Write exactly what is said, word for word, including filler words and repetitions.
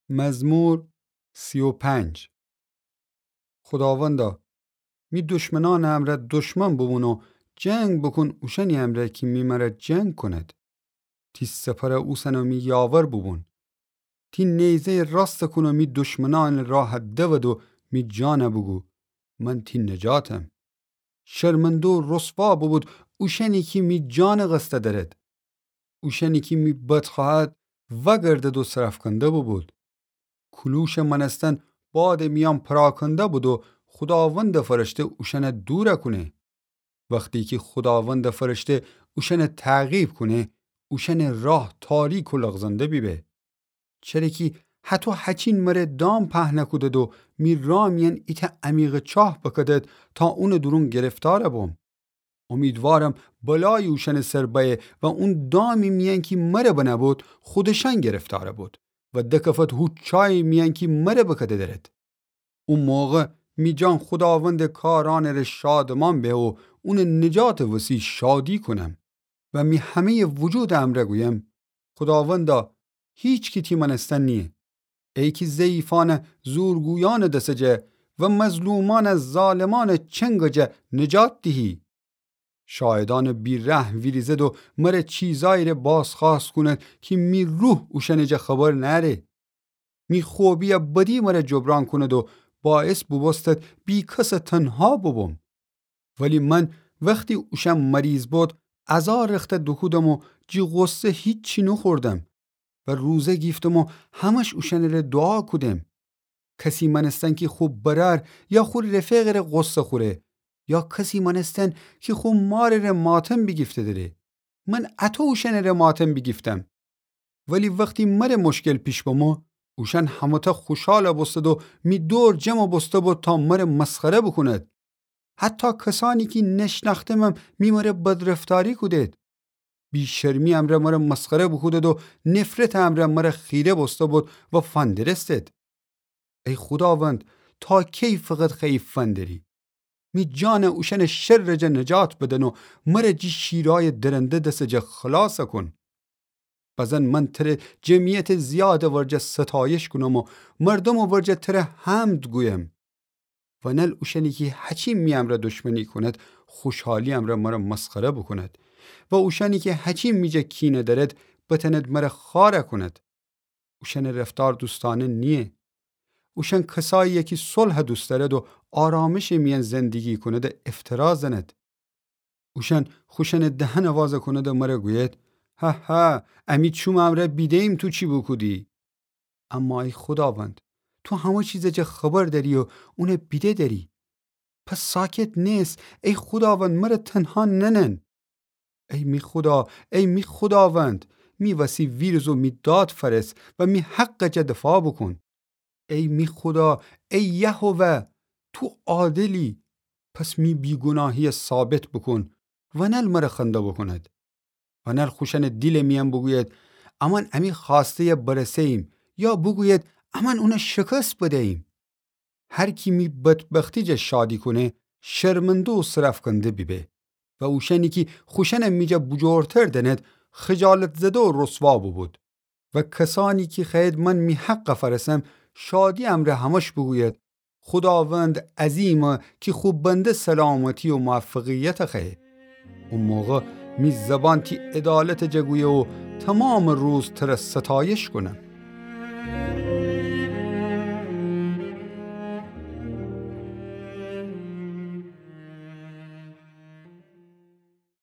مزمور سی و پنج. خوداوندا، می دشمنأنٚ امرأ دشمن بوبون و جنگ بوکون اوشأنی امرأ کی می مره جنگ کونید. تی سپرٚ اوسن و می یاور بوبون. تی نیزه‌یٚ راستَ کون و می دشمنأنٚ راه دود و می جانَ بوگو، من تی نجاتم. شرمنده و رسوا بوبود اوشأنی کی می جانٚ قصد دأرید. اوشأنی کی می بد خوأهد وأگردد و سرافکنده بوبود. کولوشٚ مأنستن بادٚ میأن پراکنده بود و خوداوندٚ فرشته اوشأنَ دورَ کونه. وختی کی خوداوندٚ فرشته اوشأنَ تعقیب کونه، اوشأنٚ راه تاریک و لغزنده بیبه. چره کی هطو هچین مره دام پهنَ کودید و می راه میأن ایتأ عمیقٚ چاه بکدید تا اونٚ دورون گرفتارَ بوم. امیدوارم بلایی اوشأنٚ سر بأیه و اون دامی میأن کی مره بنه بود، خودشأن گرفتارَ بود و دکفت هو چایی میأن کی مره بکده دأرید. او موقع می جان خوداوندٚ کارأنٚ ره شادمان به و اونٚ نجاتٚ وسی شادی کونم و می همه‌یٚ وجودٚ امرأ گویم، خوداوندا، هیچکی تی مأنستن نییه. ای کی ضعیفأنَ زورگویأنٚ دسَ جه و مظلومأنَ ظالمأنٚ چنگٚ جه نجات دیهی. شاهدأنٚ بی‌رحم ویریزید و مره چیزأیی ره بازخوأست کونید کی می روح اوشأنٚ جه خبر نأره. می خوبی‌یٚ بدی مره جبران کونید و باعث بوبوستید بی‌کسٚ تنها بوبوم. ولی من وختی اوشأن مریض بود، عزا رختَ دوکودم و جی غصه هیچی نوخوردم و روزه گیفتم و همش اوشأنٚ ره دوعا کودم. کسی مأنستن کی خو برأر یا خو رفیقٚ ره غصه خوره، یا کسی مأنستن کی خو مارٚ ره ماتم بیگیفته دره. من اطو اوشأنٚ ره ماتم بیگیفتم. ولی وختی مره مشکل پیش بمو، اوشأن همه‌تأ خوشحال بوستید و می دور جمع بوسته بود تا مره مسخره بوکونید. حتی کسأنی کی نشنأختمم می مره بدرفتاری کودید. بی‌شرمی امرأ مره مسخره بوکودید و نفرتٚ امرأ مره خیره بوسته بود و فندرستید. ای خوداوند، تا کی فقط خوأیی فندری؟ می جانَ اوشأنٚ شرٚ جا نجات بدن و مره جی شیرأیٚ درنده دسٚ جا خلاص کون. بزن من تره جمعیتٚ زیادٚ ورجه ستایش کونم و مردومٚ ورجه تره حمد گویم. ونل اوشأنی کی هچین می امرأ دشمنی کونید، خوشحالی امرأ مره مسخره بوکونید و اوشأنی کی هچین می جا کینه دأرید، بتأنید مره خوأر کونید. اوشأنٚ رفتار دوستأنه نییه. اوشأن کسأیی‌یه کی صلحَ دوست دأرید و آرامشٚ میأن زندگی کونید افترا زنید. اوشأن خوشأنٚ دهنَ واز کونید مره گویید: هه هه، امی چومٚ امرأ بیده‌ییم تو چی بوکودی. اما ای خوداوند، تو همه چیزٚ جا خبر دأری و اونَ بیده دأری. پس ساکت نس، ای خوداوند، مره تنها ننن. ای می خودا، ای می خوداوند، می وسی ویریز و می داد فأرس و می حقٚ جا دفاع بوکون. ای می خودا، ای یهوه، تو عادلی، پس می بیگوناهی‌یَ ثابت بوکون، ونل مره خنده بوکونید. ونل خوشأنٚ دیلٚ میأن بوگوید: امأن امی خوأسته‌یَ برسه‌ییم، یا بوگوید: امأن اونَ شکست بده‌ییم. هر کی می بدبختی جا شادی کونه، شرمنده و سرافکنده بیبه. و اوشأنی کی خوشأنَ می جا بوجورتر دأنید، خجالت‌زده و رسوا بوبود. و کسأنی کی خوأیید من می حقَ فأرسم، شادی امرأ همه‌ش بوگوید: خوداوند عظیمه کی خو بنده سلامتی و موفقیتَ خوأیه. او موقع می زبان تی عدالتٚ جا گویه و تومامٚ روز تره ستایش کونم.